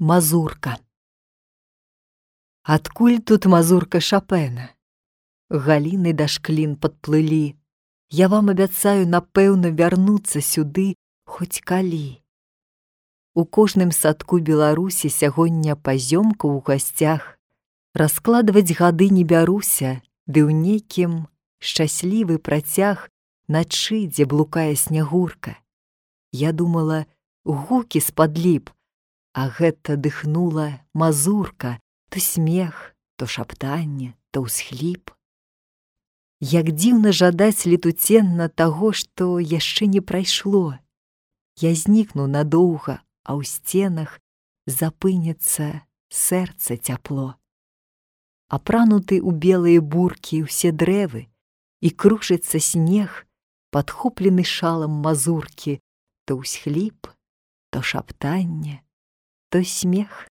Мазурка. Адкуль тут мазурка Шапена? Галіны да шклін падплылі. Я вам абяцаю, напэўна, вярнуцца сюды хоць калі. У кожным садку Беларусі сягоння пазёмка ў гасцях. Раскладваць гады не бяруся, ды ў нейкім шчаслівы працяг начы, дзе блукае снягурка. Я думала, гукі з-пад ліп, а гэта дыхнула мазурка, то смех, то шаптанне, то ўсхліп. Як дзіўна жадаць летуценна таго, што яшчэ не прайшло. Я знікну надоўга, а ў сценах запыніцца сэрца цяпло. Апрануты ў белыя буркі ўсе дрэвы, і кружыцца снег, падхоплены шалам мазуркі, то ўсхліп, то шаптанне, то смех.